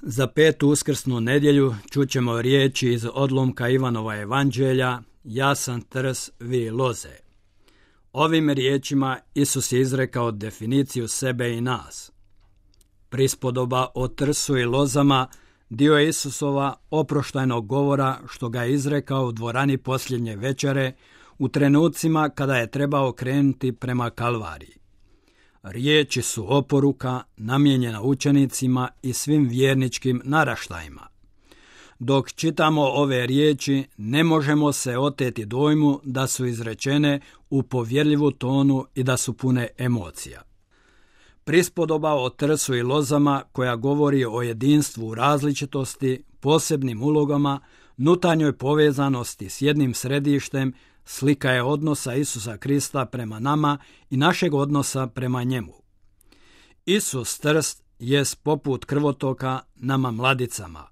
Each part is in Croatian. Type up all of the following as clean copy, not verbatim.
Za petu uskrsnu nedjelju čućemo riječi iz odlomka Ivanova evanđelja: Ja sam trs, vi loze. Ovim riječima Isus je izrekao definiciju sebe i nas. Prispodoba o trsu i lozama dio je Isusova oproštajnog govora što ga je izrekao u dvorani posljednje večere u trenucima kada je trebao krenuti prema Kalvariji. Riječi su oporuka namijenjena učenicima i svim vjerničkim naraštajima. Dok čitamo ove riječi, ne možemo se oteti dojmu da su izrečene u povjerljivu tonu i da su pune emocija. Prispodoba o trsu i lozama koja govori o jedinstvu u različitosti, posebnim ulogama, nutarnjoj povezanosti s jednim središtem, slika je odnosa Isusa Krista prema nama i našeg odnosa prema njemu. Isus trst jest poput krvotoka nama mladicama.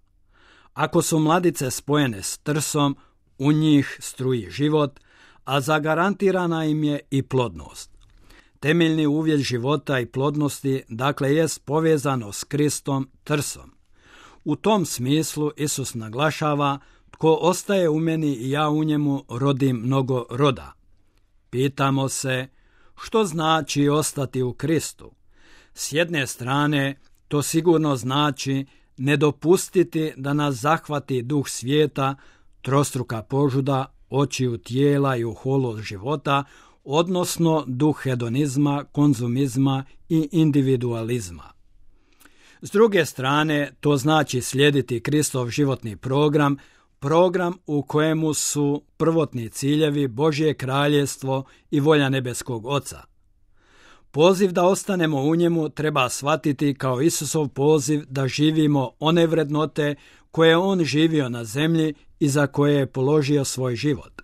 Ako su mladice spojene s trsom, u njih struji život, a zagarantirana im je i plodnost. Temeljni uvjet života i plodnosti, dakle, jest povezano s Kristom trsom. U tom smislu Isus naglašava: tko ostaje u meni i ja u njemu, rodim mnogo roda. Pitamo se, što znači ostati u Kristu? S jedne strane, to sigurno znači ne dopustiti da nas zahvati duh svijeta, trostruka požuda, očiju tijela i oholost života, odnosno duh hedonizma, konzumizma i individualizma. S druge strane, to znači slijediti Kristov životni program u kojemu su prvotni ciljevi Božje kraljevstvo i volja nebeskog Oca. Poziv da ostanemo u njemu treba shvatiti kao Isusov poziv da živimo one vrednote koje je on živio na zemlji i za koje je položio svoj život.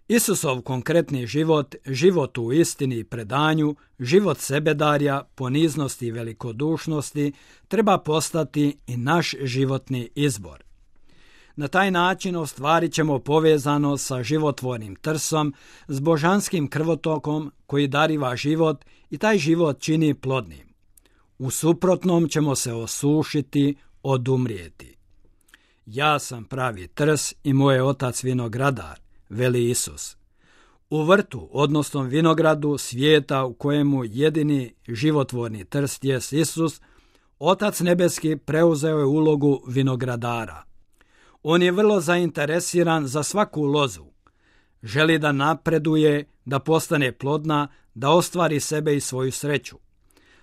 Isusov konkretni život, život u istini i predanju, život sebedarja, poniznosti i velikodušnosti treba postati i naš životni izbor. Na taj način ostvarit ćemo povezano sa životvornim trsom, s božanskim krvotokom koji dariva život i taj život čini plodnim. U suprotnom ćemo se osušiti, odumrijeti. Ja sam pravi trs i moj je otac vinogradar, veli Isus. U vrtu, odnosno vinogradu svijeta u kojemu jedini životvorni trst jest Isus, Otac nebeski preuzeo je ulogu vinogradara. On je vrlo zainteresiran za svaku lozu. Želi da napreduje, da postane plodna, da ostvari sebe i svoju sreću.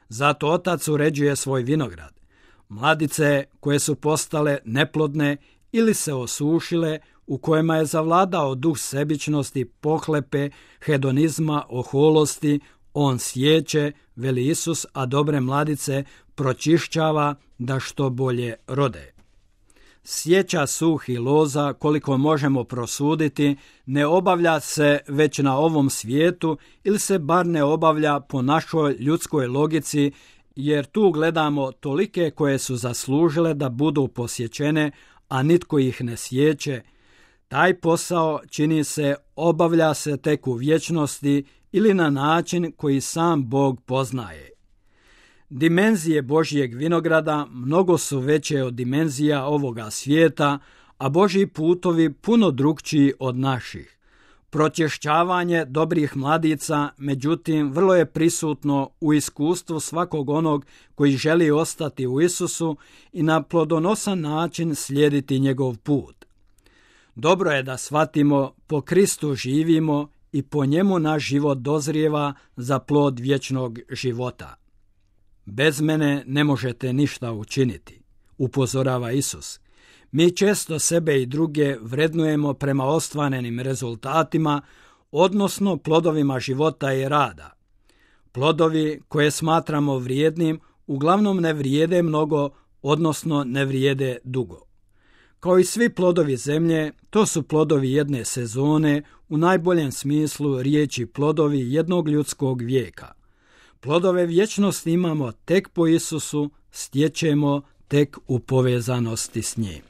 Zato Otac uređuje svoj vinograd. Mladice koje su postale neplodne ili se osušile, u kojima je zavladao duh sebičnosti, pohlepe, hedonizma, oholosti, on sječe, veli Isus, a dobre mladice pročišćava da što bolje rode. Sjeća suhih loza, koliko možemo prosuditi, ne obavlja se već na ovom svijetu ili se bar ne obavlja po našoj ljudskoj logici, jer tu gledamo tolike koje su zaslužile da budu posjećene, a nitko ih ne sjeće. Taj posao, čini se, obavlja se tek u vječnosti ili na način koji sam Bog poznaje. Dimenzije Božjeg vinograda mnogo su veće od dimenzija ovoga svijeta, a Božji putovi puno drukčiji od naših. Pročešćavanje dobrih mladica, međutim, vrlo je prisutno u iskustvu svakog onog koji želi ostati u Isusu i na plodonosan način slijediti njegov put. Dobro je da shvatimo, po Kristu živimo i po njemu naš život dozrijeva za plod vječnog života. Bez mene ne možete ništa učiniti, upozorava Isus. Mi često sebe i druge vrednujemo prema ostvarenim rezultatima, odnosno plodovima života i rada. Plodovi koje smatramo vrijednim uglavnom ne vrijede mnogo, odnosno ne vrijede dugo. Kao i svi plodovi zemlje, to su plodovi jedne sezone, u najboljem smislu riječi plodovi jednog ljudskog vijeka. Plodove vječnosti imamo tek po Isusu, stječemo tek u povezanosti s njim.